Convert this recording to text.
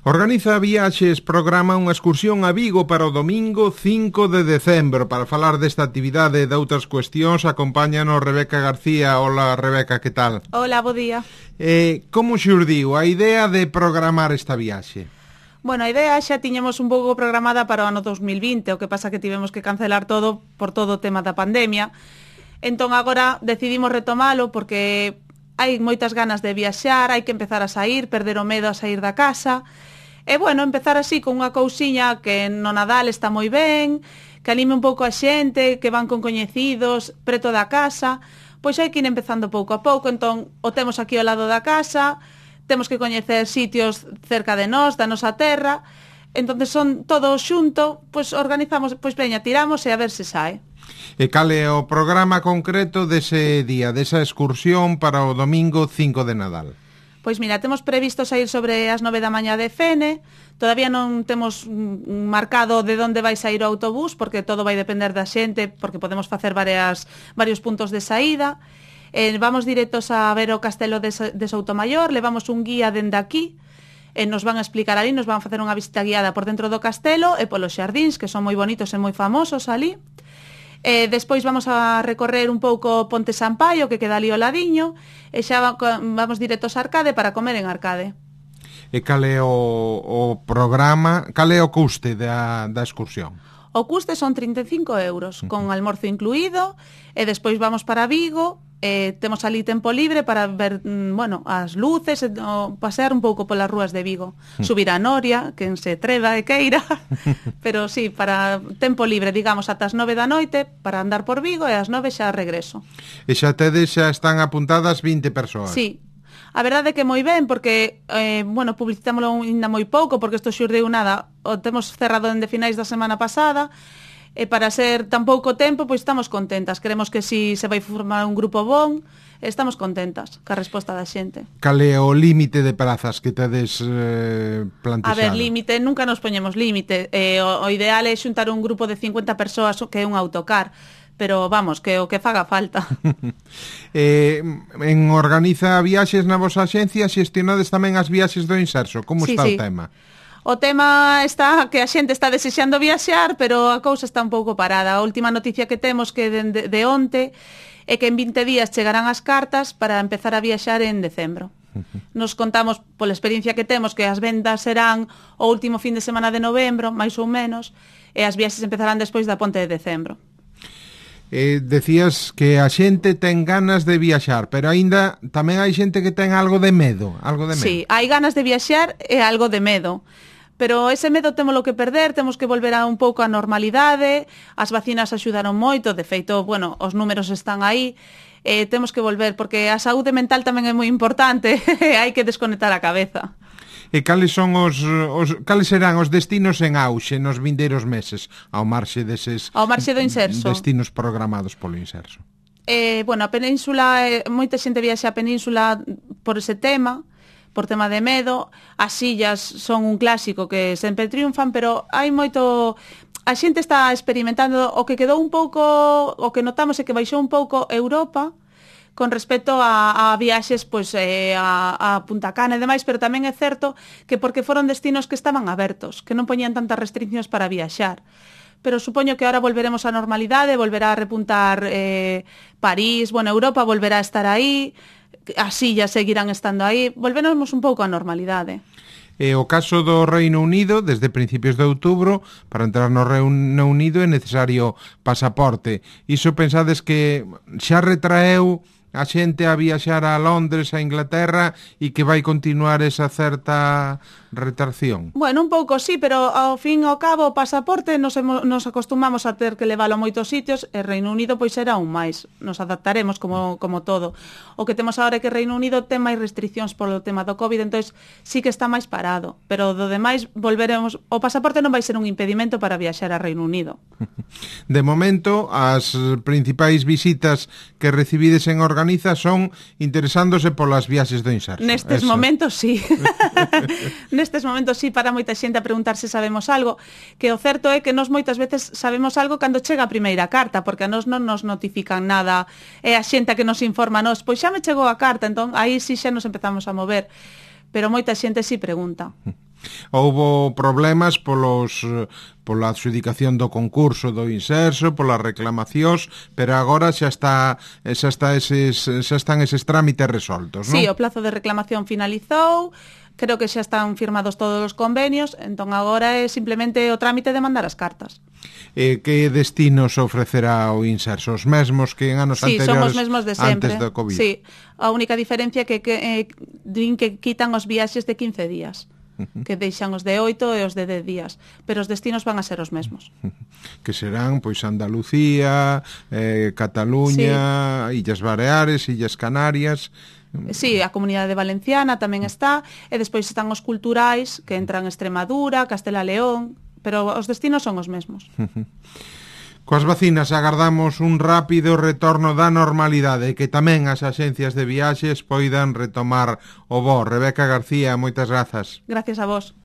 Organiza Viaxes programa unha excursión a Vigo para o domingo 5 de decembro. Para falar desta actividade e de outras cuestións, acompáñanos Rebeca García. Hola, Rebeca, que tal? Hola, bo día. Como xurdiu a idea de programar esta viaxe? Bueno, a idea xa tiñamos un pouco programada para o ano 2020, o que pasa que tivemos que cancelar todo por todo o tema da pandemia. Entón agora decidimos retomalo porque hai moitas ganas de viaxar, hai que empezar a sair, perder o medo a sair da casa. E bueno, empezar así con unha cousiña que no Nadal está moi ben, que anime un pouco a xente, que van con coñecidos, preto da casa, pois hai que ir empezando pouco a pouco. Entón, o temos aquí ao lado da casa, temos que coñecer sitios cerca de nós, da nosa terra, entonces son todo xunto, pois organizamos, pois veña, tiramos e a ver se sae. E cal é o programa concreto dese día, desa excursión para o domingo 5 de Nadal? Pois mira, temos previsto sair sobre as 9 da mañá de Fene, todavía non temos marcado de onde vai sair o autobús, porque todo vai depender da xente, porque podemos facer varios puntos de saída. Vamos directos a ver o castelo de Soutomaior, levamos un guía dende aquí, nos van a explicar ali, nos van a facer unha visita guiada por dentro do castelo e polos xardíns, que son moi bonitos e moi famosos ali. Despois vamos a recorrer un pouco Ponte Sampaio, que queda ali ao ladiño, e xa vamos directos a Arcade para comer en Arcade. E cal é o programa, cal é o custe da excursión? O custe son 35 euros, con almorzo incluído, e despois vamos para Vigo, temos ali tempo libre para ver, bueno, as luces, pasear un pouco polas rúas de Vigo, subir a Noria, quen se treva e queira, pero sí, para tempo libre, digamos, ata as 9 da noite, para andar por Vigo, e ás 9 xa regreso. E xa están apuntadas 20 persoas? Sí. A verdade é que moi ben, porque, bueno, publicitámoslo ainda moi pouco, porque isto xurdeu nada, o temos cerrado dende finais da semana pasada, e para ser tan pouco tempo, pois estamos contentas. Queremos que si se vai formar un grupo bon, estamos contentas ca resposta da xente. Cal é o límite de prazas que tedes plantexado? A ver, límite, nunca nos poñemos límite. O ideal é xuntar un grupo de 50 persoas que é un autocar, pero vamos, que o que faga falta. En Organiza Viaxes na vosa axencia xestionades tamén as viaxes do Inserso. Como está o tema? O tema está que a xente está desexando viaxar, pero a cousa está un pouco parada. A última noticia que temos que de onte é que en 20 días chegarán as cartas para empezar a viaxar en decembro. Nos contamos pola experiencia que temos que as vendas serán o último fin de semana de novembro, máis ou menos, e as viaxes empezarán despois da ponte de decembro. Decías que a xente ten ganas de viaxar, pero aínda tamén hai xente que ten algo de medo. Sí, hai ganas de viaxar e algo de medo. Pero ese medo témolo que perder, temos que volver a un pouco a normalidade, as vacinas axudaron moito, de feito, bueno, os números están aí, temos que volver, porque a saúde mental tamén é moi importante, hai que desconectar a cabeza. E cales serán os destinos en auxe nos vindeiros meses, ao marxe deses do Inserso, destinos programados polo Inserso? Bueno, a península, moita xente viaxa a península por ese tema, por tema de medo. As illas son un clásico que sempre triunfan, pero hai moito... A xente está experimentando o que quedou un pouco... O que notamos é que baixou un pouco Europa con respecto a viaxes pois, a Punta Cana e demais, pero tamén é certo que porque foron destinos que estaban abertos, que non poñían tantas restriccións para viaxar. Pero supoño que ahora volveremos á normalidade, volverá a repuntar París, bueno, Europa volverá a estar aí, as illas seguirán estando aí, volveremos un pouco á normalidade. E o caso do Reino Unido, desde principios de outubro, para entrar no Reino Unido é necesario pasaporte. Iso pensades que xa retraeu a xente a viaxar a Londres, a Inglaterra, e que vai continuar esa certa retracción? Bueno, un pouco sí, pero ao fin e ao cabo o pasaporte nos acostumamos a ter que leválo a moitos sitios, e Reino Unido pois será un máis, nos adaptaremos como todo. O que temos agora é que Reino Unido ten máis restriccións polo tema do COVID, entonces sí que está máis parado, pero do demais volveremos, o pasaporte non vai ser un impedimento para viaxar a Reino Unido. De momento, as principais visitas que recibides en Organiza son interesándose polas viaxes do Inserso. Nestes momentos sí. Nestes momentos sí, para moita xente a preguntar se sabemos algo, que o certo é que nós moitas veces sabemos algo cando chega a primeira carta, porque a nós non nos notifican nada, é a xente que nos informa a nós, pois xa me chegou a carta, entón aí sí xa nos empezamos a mover, pero moita xente sí pregunta. Houbo problemas pola adxudicación do concurso do Inserso, polas reclamacións, pero agora xa están eses trámites resoltos, non? Sí, o plazo de reclamación finalizou, creo que xa están firmados todos os convenios, entón agora é simplemente o trámite de mandar as cartas. Que destinos ofrecerá o Inserso? Os mesmos que en anos anteriores, son os mesmos de sempre. Antes do COVID? Sí, a única diferencia é que din que quitan os viaxes de 15 días. Que deixan os de 8 e os de 10 días, pero os destinos van a ser os mesmos. Que serán, pois, Andalucía, Cataluña, sí. Illas Baleares, Illas Canarias. Sí, a Comunidade Valenciana tamén está, e despois están os culturais, que entran Extremadura, Castela León, pero os destinos son os mesmos. Coas vacinas agardamos un rápido retorno da normalidade e que tamén as axencias de viaxes poidan retomar o voo. Rebeca García, moitas grazas. Gracias a vos.